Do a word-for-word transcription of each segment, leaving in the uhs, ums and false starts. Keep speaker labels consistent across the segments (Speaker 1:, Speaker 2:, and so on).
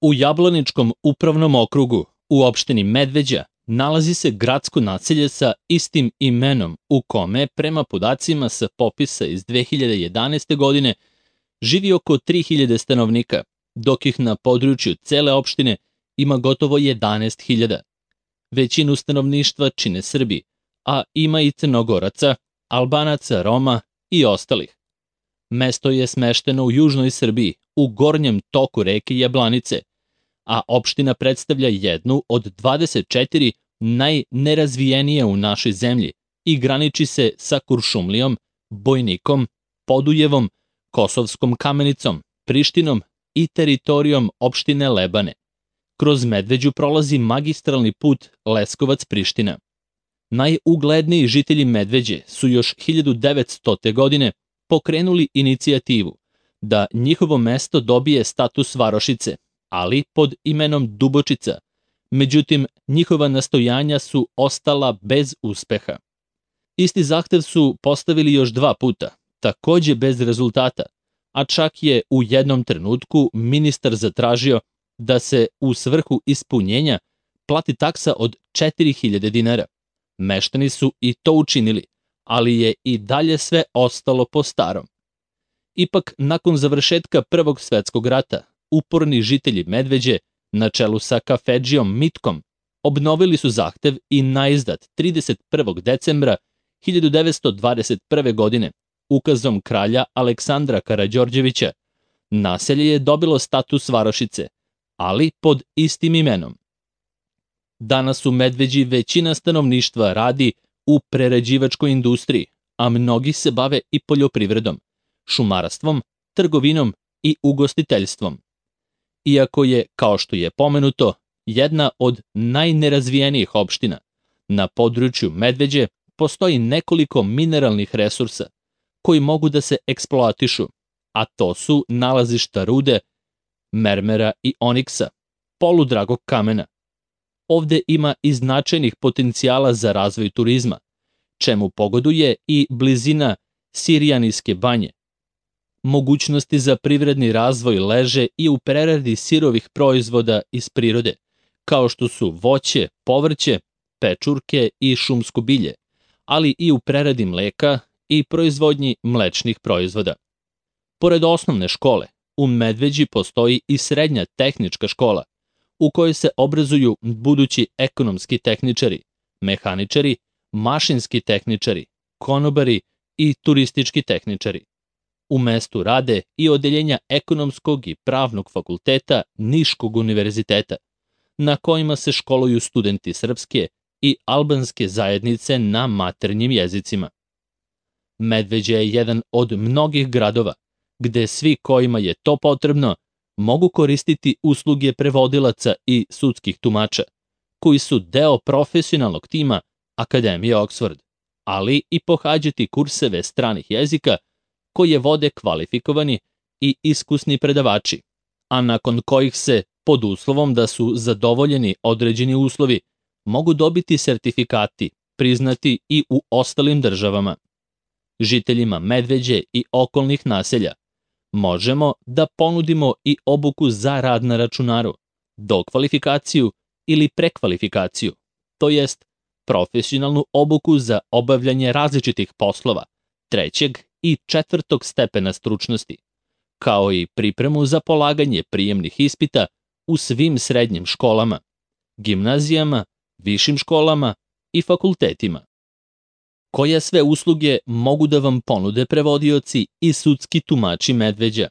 Speaker 1: U Jablaničkom upravnom okrugu u opštini Medveđa nalazi se gradsko naselje sa istim imenom u kome, prema podacima sa popisa iz dve hiljade jedanaeste. godine, živi oko tri hiljade stanovnika, dok ih na području cele opštine ima gotovo jedanaest hiljada. Većinu stanovništva čine Srbi, a ima i Crnogoraca, Albanaca, Roma i ostalih. Mesto je smešteno u južnoj Srbiji, u gornjem toku reke Jablanice, a opština predstavlja jednu od dvadeset četiri najnerazvijenije u našoj zemlji i graniči se sa Kuršumlijom, Bojnikom, Podujevom, Kosovskom Kamenicom, Prištinom i teritorijom opštine Lebane. Kroz Medveđu prolazi magistralni put Leskovac-Priština. Najugledniji žitelji Medveđe su još hiljadu devetstote. godine pokrenuli inicijativu da njihovo mesto dobije status varošice, ali pod imenom Dubočica. Međutim, njihova nastojanja su ostala bez uspeha. Isti zahtev su postavili još dva puta, takođe bez rezultata, a čak je u jednom trenutku ministar zatražio da se u svrhu ispunjenja plati taksa od četiri hiljade dinara. Meštani su i to učinili, ali je i dalje sve ostalo po starom. Ipak, nakon završetka Prvog svetskog rata, uporni žitelji Medveđe, na čelu sa kafedžijom Mitkom, obnovili su zahtev i naizdat trideset prvog decembra hiljadu devetsto dvadeset prve. godine ukazom kralja Aleksandra Karađorđevića naselje je dobilo status varošice, ali pod istim imenom. Danas u Medveđi većina stanovništva radi u prerađivačkoj industriji, a mnogi se bave i poljoprivredom, šumarstvom, trgovinom i ugostiteljstvom. Iako je, kao što je pomenuto, jedna od najnerazvijenijih opština, na području Medveđe postoji nekoliko mineralnih resursa koji mogu da se eksploatišu, a to su nalazišta rude, mermera i oniksa, poludragog kamena. Ovde ima i značajnih potencijala za razvoj turizma, čemu pogoduje i blizina Sirjanijske banje. Mogućnosti za privredni razvoj leže i u preradi sirovih proizvoda iz prirode, kao što su voće, povrće, pečurke i šumsko bilje, ali i u preradi mleka i proizvodnji mlečnih proizvoda. Pored osnovne škole, u Medveđi postoji i srednja tehnička škola, u kojoj se obrazuju budući ekonomski tehničari, mehaničari, mašinski tehničari, konobari i turistički tehničari. U mestu rade i odeljenja ekonomskog i pravnog fakulteta Niškog univerziteta, na kojima se školuju studenti srpske i albanske zajednice na maternjim jezicima. Medveđa je jedan od mnogih gradova gde svi kojima je to potrebno mogu koristiti usluge prevodilaca i sudskih tumača, koji su deo profesionalnog tima Akademije Oxford, ali i pohađati kurseve stranih jezika koje vode kvalifikovani i iskusni predavači, a nakon kojih se, pod uslovom da su zadovoljeni određeni uslovi, mogu dobiti sertifikati priznati i u ostalim državama. Žiteljima Medveđe i okolnih naselja možemo da ponudimo i obuku za rad na računaru, dokvalifikaciju ili prekvalifikaciju, to jest profesionalnu obuku za obavljanje različitih poslova, trećeg i četvrtog stepena stručnosti, kao i pripremu za polaganje prijemnih ispita u svim srednjim školama, gimnazijama, višim školama i fakultetima. Koje sve usluge mogu da vam ponude prevodioci i sudski tumači Medveđa?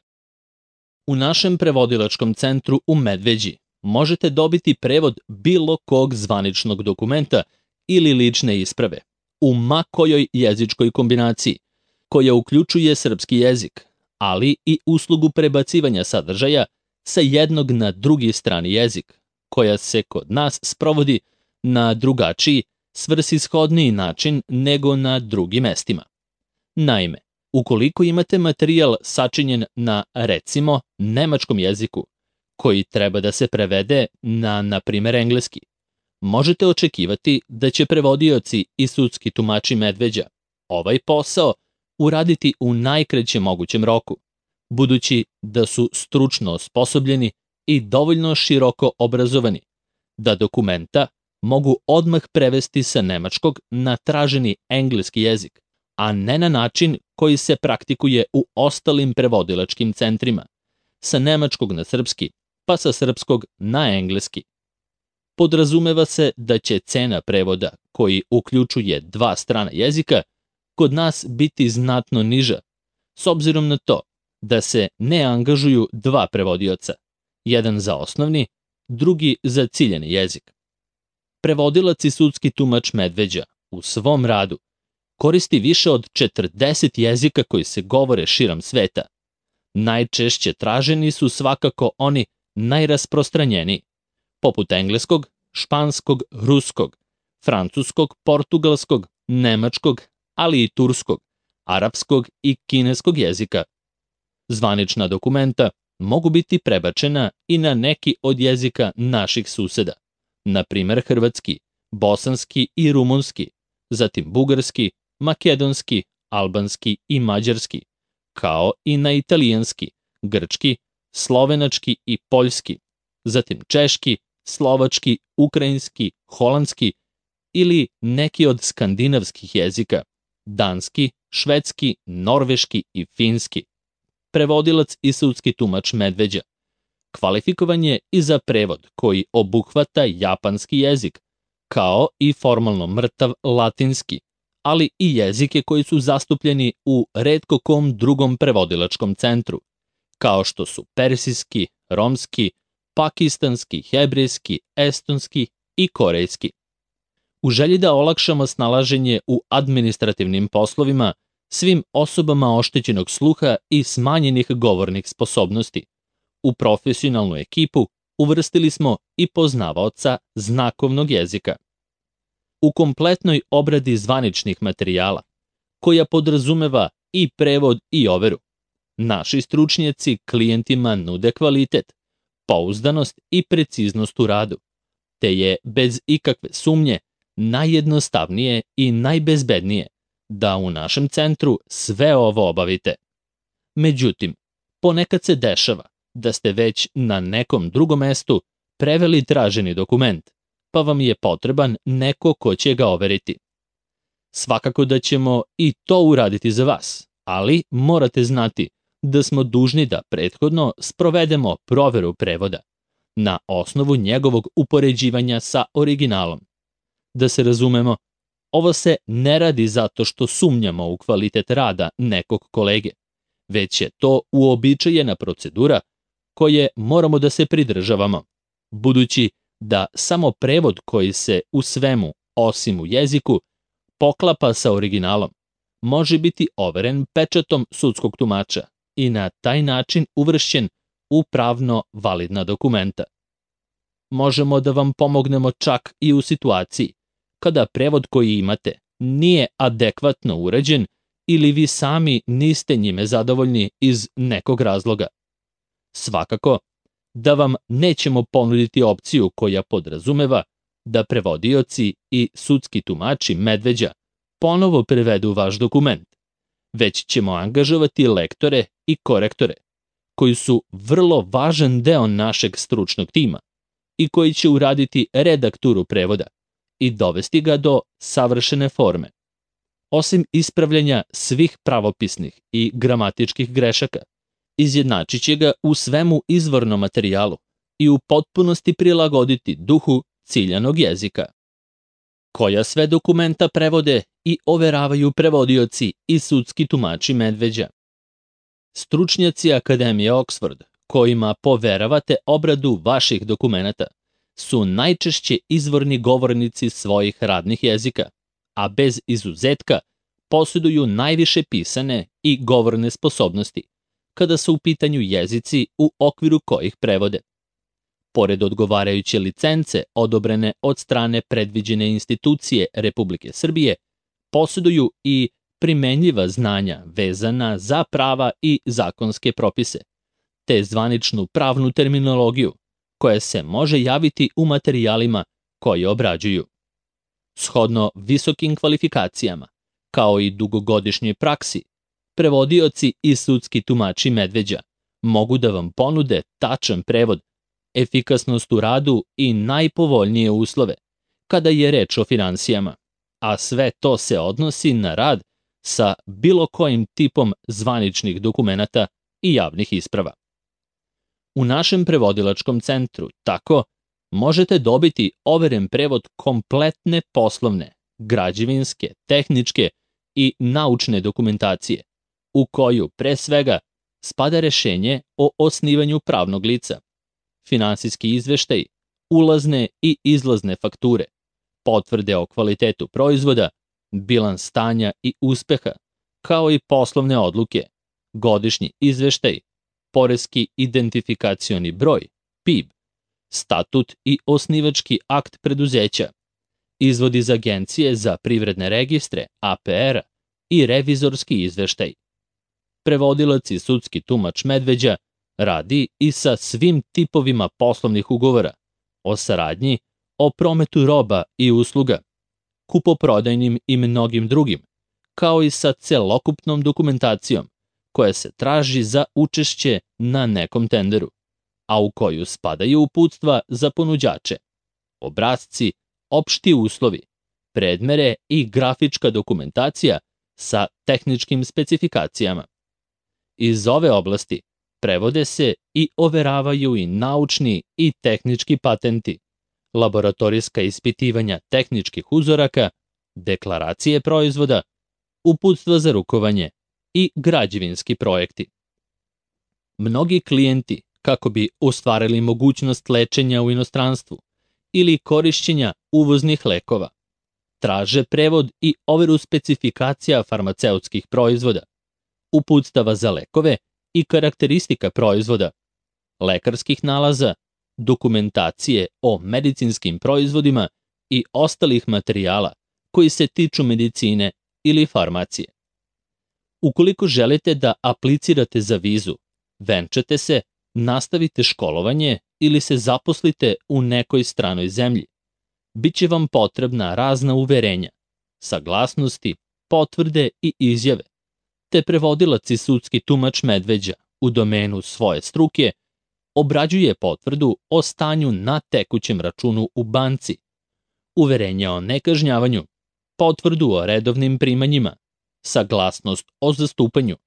Speaker 1: U našem prevodilačkom centru u Medveđi možete dobiti prevod bilo kog zvaničnog dokumenta ili lične isprave, u ma kojoj jezičkoj kombinaciji, koja uključuje srpski jezik, ali i uslugu prebacivanja sadržaja sa jednog na drugi strani jezik, koja se kod nas sprovodi na drugačiji, svrsishodniji način nego na drugim mestima. Naime, ukoliko imate materijal sačinjen na, recimo, nemačkom jeziku, koji treba da se prevede na, na primer, engleski, možete očekivati da će prevodioci i sudski tumači Medveđa ovaj posao uraditi u najkraćem mogućem roku, budući da su stručno osposobljeni i dovoljno široko obrazovani, da dokumenta mogu odmah prevesti sa nemačkog na traženi engleski jezik, a ne na način koji se praktikuje u ostalim prevodilačkim centrima, sa nemačkog na srpski, pa sa srpskog na engleski. Podrazumeva se da će cena prevoda, koji uključuje dva strana jezika, kod nas biti znatno niža, s obzirom na to da se ne angažuju dva prevodioca, jedan za osnovni, drugi za ciljani jezik. Prevodilac i sudski tumač Medveđa u svom radu koristi više od četrdeset jezika koji se govore širom sveta. Najčešće traženi su svakako oni najrasprostranjeniji, poput engleskog, španskog, ruskog, francuskog, portugalskog, nemačkog, ali i turskog, arapskog i kineskog jezika. Zvanična dokumenta mogu biti prebačena i na neki od jezika naših suseda, na primer hrvatski, bosanski i rumunski, zatim bugarski, makedonski, albanski i mađarski, kao i na italijanski, grčki, slovenački i poljski, zatim češki, slovački, ukrajinski, holandski ili neki od skandinavskih jezika, danski, švedski, norveški i finski. Prevodilac i sudski tumač Medveđa kvalifikovan je i za prevod koji obuhvata japanski jezik, kao i formalno mrtav latinski, ali i jezike koji su zastupljeni u retko kom drugom prevodilačkom centru, kao što su persijski, romski, pakistanski, hebrejski, estonski i korejski. U želji da olakšamo snalaženje u administrativnim poslovima svim osobama oštećenog sluha i smanjenih govornih sposobnosti, u profesionalnu ekipu uvrstili smo i poznavaoca znakovnog jezika. U kompletnoj obradi zvaničnih materijala, koja podrazumeva i prevod i overu, naši stručnjaci klijentima nude kvalitet, pouzdanost i preciznost u radu, te je bez ikakve sumnje najjednostavnije i najbezbednije da u našem centru sve ovo obavite. Međutim, ponekad se dešava da ste već na nekom drugom mestu preveli traženi dokument, pa vam je potreban neko ko će ga overiti. Svakako da ćemo i to uraditi za vas, ali morate znati da smo dužni da prethodno sprovedemo proveru prevoda na osnovu njegovog upoređivanja sa originalom. Da se razumemo, ovo se ne radi zato što sumnjamo u kvalitet rada nekog kolege, već je to uobičajena procedura koje moramo da se pridržavamo, budući da samo prevod koji se u svemu, osim u jeziku, poklapa sa originalom, može biti overen pečatom sudskog tumača i na taj način uvršćen u pravno validna dokumenta. Možemo da vam pomognemo čak i u situaciji kada prevod koji imate nije adekvatno urađen ili vi sami niste njime zadovoljni iz nekog razloga. Svakako da vam nećemo ponuditi opciju koja podrazumeva da prevodioci i sudski tumači Medveđa ponovo prevedu vaš dokument, već ćemo angažovati lektore i korektore, koji su vrlo važan deo našeg stručnog tima i koji će uraditi redakturu prevoda i dovesti ga do savršene forme. Osim ispravljanja svih pravopisnih i gramatičkih grešaka, izjednačit će ga u svemu izvornom materijalu i u potpunosti prilagoditi duhu ciljanog jezika. Koja sve dokumenta prevode i overavaju prevodioci i sudski tumači Medveđa? Stručnjaci Akademije Oxford, kojima poveravate obradu vaših dokumenata, su najčešće izvorni govornici svojih radnih jezika, a bez izuzetka posjeduju najviše pisane i govorne sposobnosti, kada su u pitanju jezici u okviru kojih prevode. Pored odgovarajuće licence odobrene od strane predviđene institucije Republike Srbije, posjeduju i primenljiva znanja vezana za prava i zakonske propise, te zvaničnu pravnu terminologiju koja se može javiti u materijalima koje obrađuju. Shodno visokim kvalifikacijama, kao i dugogodišnjoj praksi, prevodioci i sudski tumači Medveđa mogu da vam ponude tačan prevod efikasnost u radu i najpovoljnije uslove, kada je reč o finansijama, a sve to se odnosi na rad sa bilo kojim tipom zvaničnih dokumenata i javnih isprava. U našem prevodilačkom centru tako možete dobiti overen prevod kompletne poslovne, građevinske, tehničke i naučne dokumentacije, u koju pre svega spada rešenje o osnivanju pravnog lica, finansijski izveštaj, ulazne i izlazne fakture, potvrde o kvalitetu proizvoda, bilans stanja i uspeha, kao i poslovne odluke, godišnji izveštaj, poreski identifikacioni broj, P I B, statut i osnivački akt preduzeća, izvod iz Agencije za privredne registre, A P R-a i revizorski izveštaj. Prevodilac i sudski tumač Medveđa radi i sa svim tipovima poslovnih ugovora, o saradnji, o prometu roba i usluga, kupoprodajnim i mnogim drugim, kao i sa celokupnom dokumentacijom koja se traži za učešće na nekom tenderu, a u koju spadaju uputstva za ponuđače, obrasci, opšti uslovi, predmere i grafička dokumentacija sa tehničkim specifikacijama. Iz ove oblasti prevode se i overavaju i naučni i tehnički patenti, laboratorijska ispitivanja tehničkih uzoraka, deklaracije proizvoda, uputstva za rukovanje i građevinski projekti. Mnogi klijenti, kako bi ostvarili mogućnost lečenja u inostranstvu ili korišćenja uvoznih lekova, traže prevod i overu specifikacija farmaceutskih proizvoda, uputstava za lekove i karakteristika proizvoda, lekarskih nalaza, dokumentacije o medicinskim proizvodima i ostalih materijala koji se tiču medicine ili farmacije. Ukoliko želite da aplicirate za vizu, venčate se, nastavite školovanje ili se zaposlite u nekoj stranoj zemlji, biće vam potrebna razna uverenja, saglasnosti, potvrde i izjave, te prevodilac i sudski tumač Medveđa u domenu svoje struke obrađuje potvrdu o stanju na tekućem računu u banci, uverenje o nekažnjavanju, potvrdu o redovnim primanjima, saglasnost o zastupanju,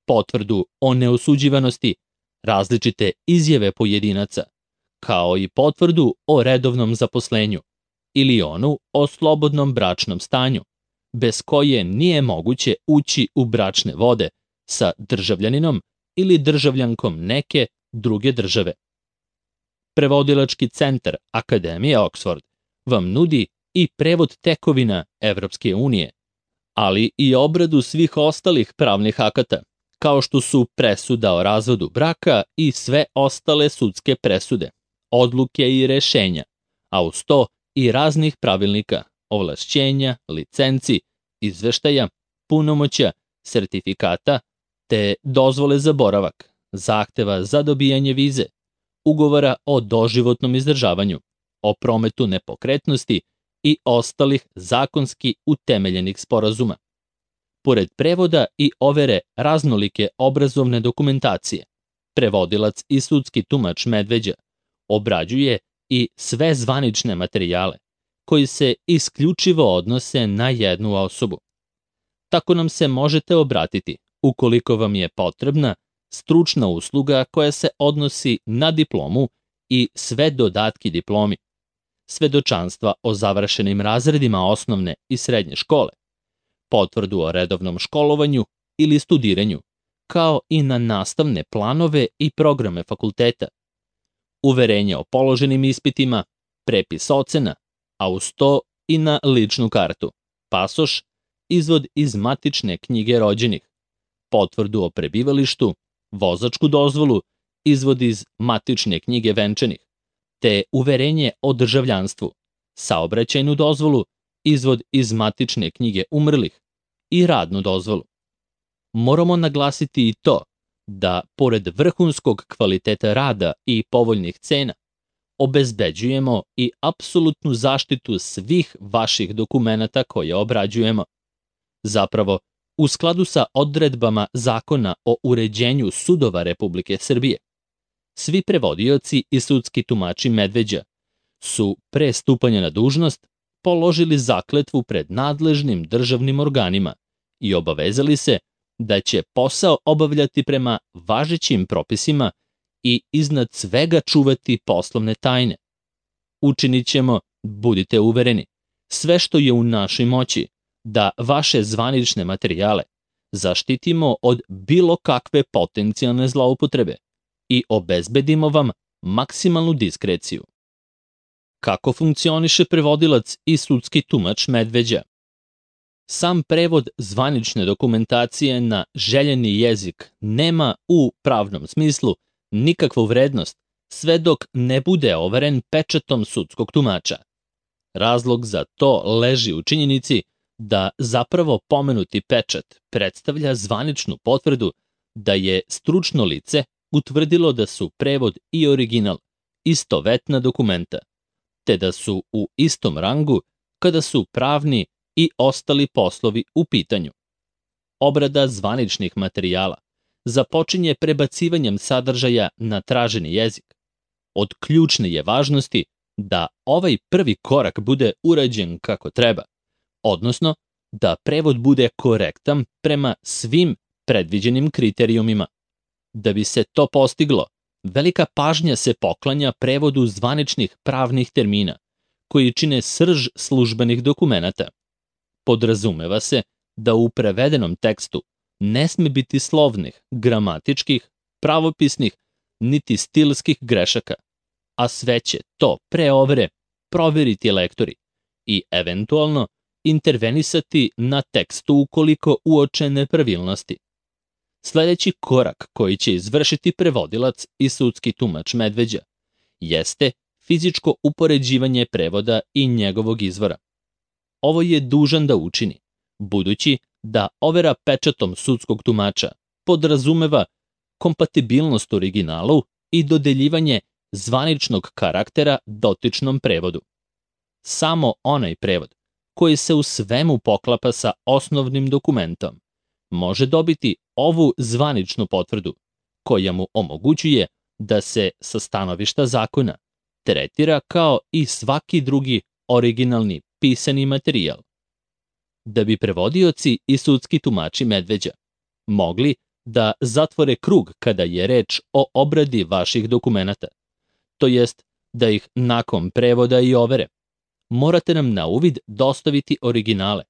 Speaker 1: potvrdu o neosuđivanosti, različite izjave pojedinaca, kao i potvrdu o redovnom zaposlenju ili onu o slobodnom bračnom stanju, bez koje nije moguće ući u bračne vode sa državljaninom ili državljankom neke druge države. Prevodilački centar Akademije Oxford vam nudi i prevod tekovina Evropske unije, ali i obradu svih ostalih pravnih akata, kao što su presuda o razvodu braka i sve ostale sudske presude, odluke i rešenja, a uz to i raznih pravilnika, ovlašćenja, licenci, izveštaja, punomoća, sertifikata, te dozvole za boravak, zahteva za dobijanje vize, ugovora o doživotnom izdržavanju, o prometu nepokretnosti i ostalih zakonski utemeljenih sporazuma. Pored prevoda i overe raznolike obrazovne dokumentacije, prevodilac i sudski tumač Medveđa obrađuje i sve zvanične materijale koji se isključivo odnose na jednu osobu. Tako nam se možete obratiti ukoliko vam je potrebna stručna usluga koja se odnosi na diplomu i sve dodatki diplomi, svedočanstva o završenim razredima osnovne i srednje škole, potvrdu o redovnom školovanju ili studiranju, kao i na nastavne planove i programe fakulteta, uverenje o položenim ispitima, prepis ocena, a uz to i na ličnu kartu, pasoš, izvod iz matične knjige rođenih, potvrdu o prebivalištu, vozačku dozvolu, izvod iz matične knjige venčanih, te uverenje o državljanstvu, saobraćajnu dozvolu, izvod iz matične knjige umrlih i radnu dozvolu. Moramo naglasiti i to da, pored vrhunskog kvaliteta rada i povoljnih cena, obezbeđujemo i apsolutnu zaštitu svih vaših dokumenata koje obrađujemo. Zapravo, u skladu sa odredbama Zakona o uređenju sudova Republike Srbije, Svi prevodioci i sudski tumači Medveđa su pre stupanja na dužnost položili zakletvu pred nadležnim državnim organima i obavezali se da će posao obavljati prema važećim propisima i iznad svega čuvati poslovne tajne. Učinit ćemo, budite uvereni, sve što je u našoj moći da vaše zvanične materijale zaštitimo od bilo kakve potencijalne zloupotrebe i obezbedimo vam maksimalnu diskreciju. Kako funkcioniše prevodilac i sudski tumač Medveđa? Sam prevod zvanične dokumentacije na željeni jezik nema u pravnom smislu nikakvu vrednost sve dok ne bude overen pečatom sudskog tumača. Razlog za to leži u činjenici da zapravo pomenuti pečat predstavlja zvaničnu potvrdu da je stručno lice utvrdilo da su prevod i original istovetna dokumenta, te da su u istom rangu kada su pravni i ostali poslovi u pitanju. Obrada zvaničnih materijala započinje prebacivanjem sadržaja na traženi jezik. Od ključne je važnosti da ovaj prvi korak bude urađen kako treba, odnosno da prevod bude korektan prema svim predviđenim kriterijumima. Da bi se to postiglo, velika pažnja se poklanja prevodu zvaničnih pravnih termina, koji čine srž službenih dokumenata. Podrazumeva se da u prevedenom tekstu ne sme biti slovnih, gramatičkih, pravopisnih, niti stilskih grešaka, a sve će to pre overe proveriti lektori i eventualno intervenisati na tekstu ukoliko uoče nepravilnosti. Sledeći korak koji će izvršiti prevodilac i sudski tumač Medveđa jeste fizičko upoređivanje prevoda i njegovog izvora. Ovo je dužan da učini, budući da overa pečatom sudskog tumača podrazumeva kompatibilnost originalu i dodeljivanje zvaničnog karaktera dotičnom prevodu. Samo onaj prevod koji se u svemu poklapa sa osnovnim dokumentom može dobiti ovu zvaničnu potvrdu, koja mu omogućuje da se sa stanovišta zakona tretira kao i svaki drugi originalni pisani materijal. Da bi prevodioci i sudski tumači Medveđa mogli da zatvore krug kada je reč o obradi vaših dokumenata, to jest da ih nakon prevoda i overe, morate nam na uvid dostaviti originale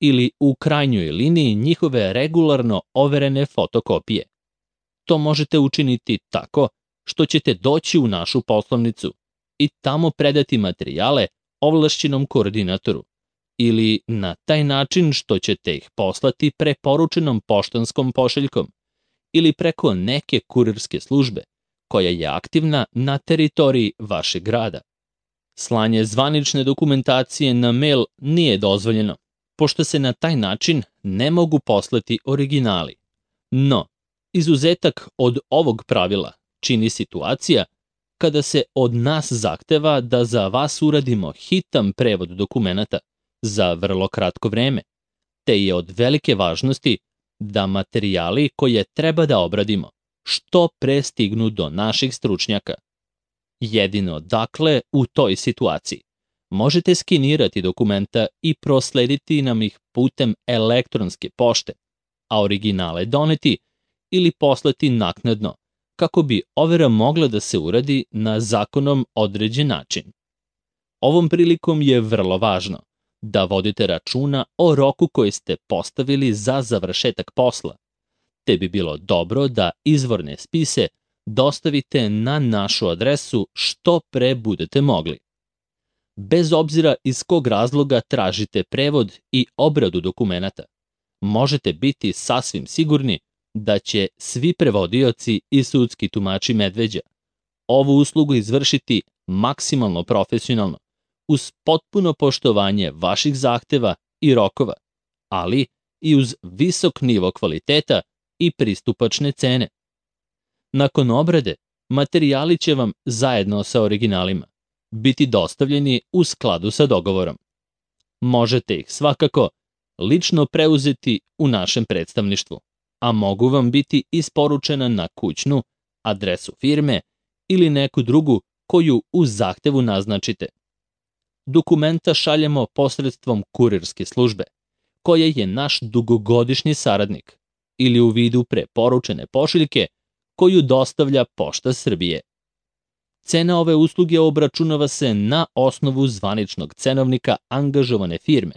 Speaker 1: ili u krajnjoj liniji njihove regularno overene fotokopije. To možete učiniti tako što ćete doći u našu poslovnicu i tamo predati materijale ovlašćenom koordinatoru ili na taj način što ćete ih poslati preporučenom poštanskom pošiljkom ili preko neke kurirske službe koja je aktivna na teritoriji vašeg grada. Slanje zvanične dokumentacije na mail nije dozvoljeno, pošto se na taj način ne mogu poslati originali. No, izuzetak od ovog pravila čini situacija kada se od nas zahteva da za vas uradimo hitan prevod dokumenata za vrlo kratko vreme, te je od velike važnosti da materijali koje treba da obradimo što pre stignu do naših stručnjaka. Jedino, dakle, u toj situaciji možete skenirati dokumenta i proslediti nam ih putem elektronske pošte, a originale doneti ili poslati naknadno, kako bi overa mogla da se uradi na zakonom određen način. Ovom prilikom je vrlo važno da vodite računa o roku koji ste postavili za završetak posla, te bi bilo dobro da izvorne spise dostavite na našu adresu što pre budete mogli. Bez obzira iz kog razloga tražite prevod i obradu dokumenata, možete biti sasvim sigurni da će svi prevodioci i sudski tumači Medveđa ovu uslugu izvršiti maksimalno profesionalno, uz potpuno poštovanje vaših zahteva i rokova, ali i uz visok nivo kvaliteta i pristupačne cene. Nakon obrade, materijali će vam zajedno sa originalima biti dostavljeni u skladu sa dogovorom. Možete ih svakako lično preuzeti u našem predstavništvu, a mogu vam biti isporučena na kućnu, adresu firme ili neku drugu koju u zahtevu naznačite. Dokumenta šaljemo posredstvom kurirske službe, koja je naš dugogodišnji saradnik, ili u vidu preporučene pošiljke koju dostavlja Pošta Srbije. Cena ove usluge obračunava se na osnovu zvaničnog cenovnika angažovane firme,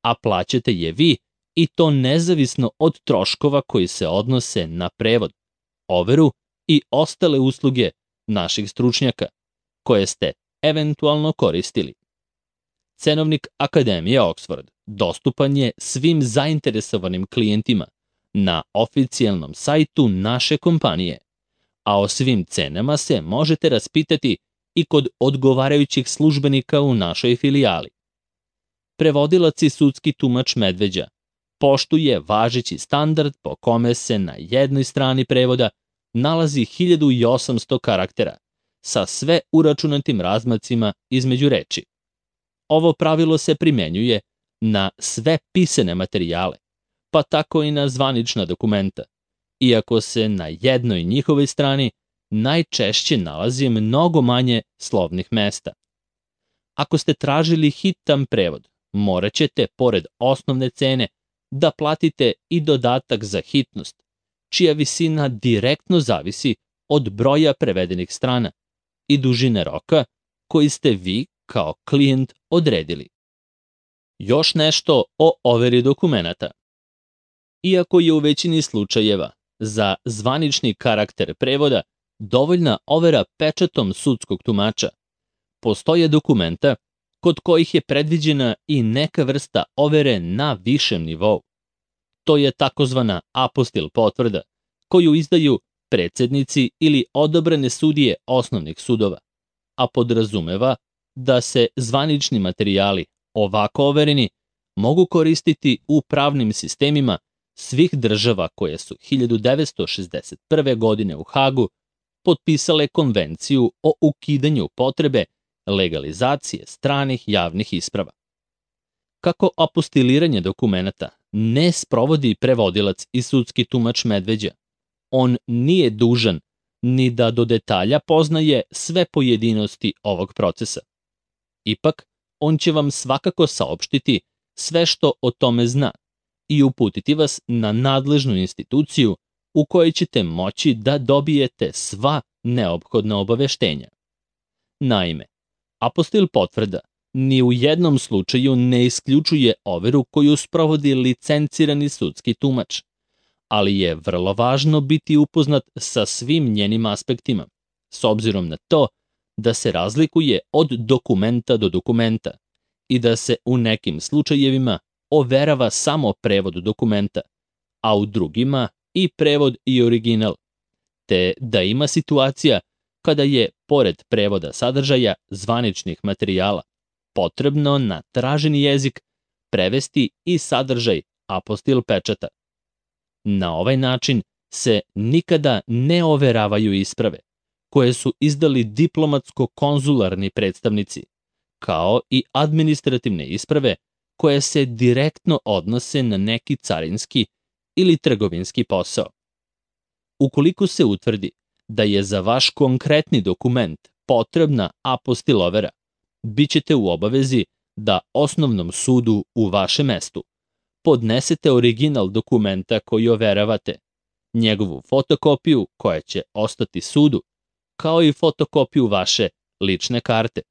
Speaker 1: a plaćate je vi i to nezavisno od troškova koji se odnose na prevod, overu i ostale usluge naših stručnjaka, koje ste eventualno koristili. Cenovnik Akademije Oxford dostupan je svim zainteresovanim klijentima na oficijalnom sajtu naše kompanije, a o svim cenama se možete raspitati i kod odgovarajućih službenika u našoj filijali. Prevodilac i sudski tumač Medveđa poštuje važeći standard po kome se na jednoj strani prevoda nalazi hiljadu osamsto karaktera sa sve uračunatim razmacima između reči. Ovo pravilo se primenjuje na sve pisane materijale, pa tako i na zvanična dokumenta, iako se na jednoj njihovoj strani najčešće nalazi mnogo manje slovnih mesta. Ako ste tražili hitan prevod, morat ćete, pored osnovne cene, da platite i dodatak za hitnost, čija visina direktno zavisi od broja prevedenih strana i dužine roka koji ste vi kao klijent odredili. Još nešto o overi dokumenata. Iako je u većini slučajeva za zvanični karakter prevoda dovoljna overa pečatom sudskog tumača, postoje dokumenta kod kojih je predviđena i neka vrsta overe na višem nivou. To je takozvana apostil potvrda, koju izdaju predsednici ili odabrane sudije osnovnih sudova, a podrazumeva da se zvanični materijali, ovako overeni, mogu koristiti u pravnim sistemima svih država koje su hiljadu devetsto šezdeset prve. godine u Hagu potpisale konvenciju o ukidanju potrebe legalizacije stranih javnih isprava. Kako apostiliranje dokumenata ne sprovodi prevodilac i sudski tumač Medveđa, on nije dužan ni da do detalja poznaje sve pojedinosti ovog procesa. Ipak, on će vam svakako saopštiti sve što o tome zna i uputiti vas na nadležnu instituciju u kojoj ćete moći da dobijete sva neophodna obaveštenja. Naime, apostil potvrda ni u jednom slučaju ne isključuje overu koju sprovodi licencirani sudski tumač, ali je vrlo važno biti upoznat sa svim njenim aspektima, s obzirom na to da se razlikuje od dokumenta do dokumenta i da se u nekim slučajevima overava samo prevod dokumenta, a u drugima i prevod i original, te da ima situacija kada je, pored prevoda sadržaja zvaničnih materijala, potrebno na traženi jezik prevesti i sadržaj apostil pečata. Na ovaj način se nikada ne overavaju isprave koje su izdali diplomatsko-konzularni predstavnici, kao i administrativne isprave koje se direktno odnose na neki carinski ili trgovinski posao. Ukoliko se utvrdi da je za vaš konkretni dokument potrebna apostil overa, bit ćete u obavezi da osnovnom sudu u vašem mestu podnesete original dokumenta koji overavate, njegovu fotokopiju koja će ostati sudu, kao i fotokopiju vaše lične karte.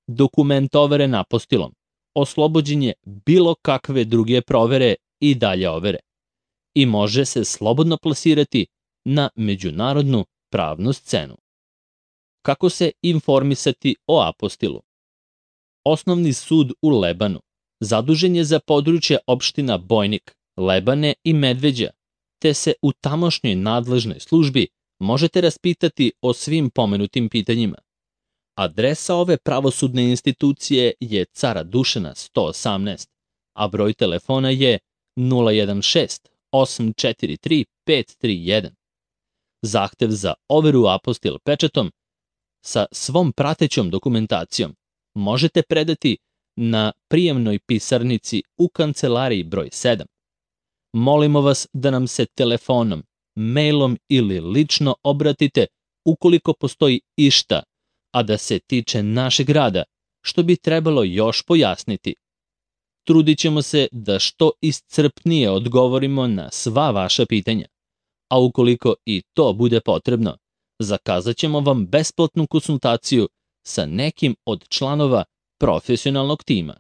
Speaker 1: Dokument overen apostilom oslobođen je bilo kakve druge provere i dalje overe i može se slobodno plasirati na međunarodnu pravnu scenu. Kako se informisati o apostilu? Osnovni sud u Lebanu zadužen je za područje opština Bojnik, Lebane i Medveđa, te se u tamošnjoj nadležnoj službi možete raspitati o svim pomenutim pitanjima. Adresa ove pravosudne institucije je Cara Dušana sto osamnaest, a broj telefona je nula jedan šest osam četiri tri pet tri jedan. Zahtev za overu apostil pečatom sa svom pratećom dokumentacijom možete predati na prijemnoj pisarnici u kancelariji broj sedam. Molimo vas da nam se telefonom, mailom ili lično obratite ukoliko postoji išta, a da se tiče našeg rada, što bi trebalo još pojasniti. Trudit ćemo se da što iscrpnije odgovorimo na sva vaša pitanja, a ukoliko i to bude potrebno, zakazat ćemo vam besplatnu konsultaciju sa nekim od članova profesionalnog tima.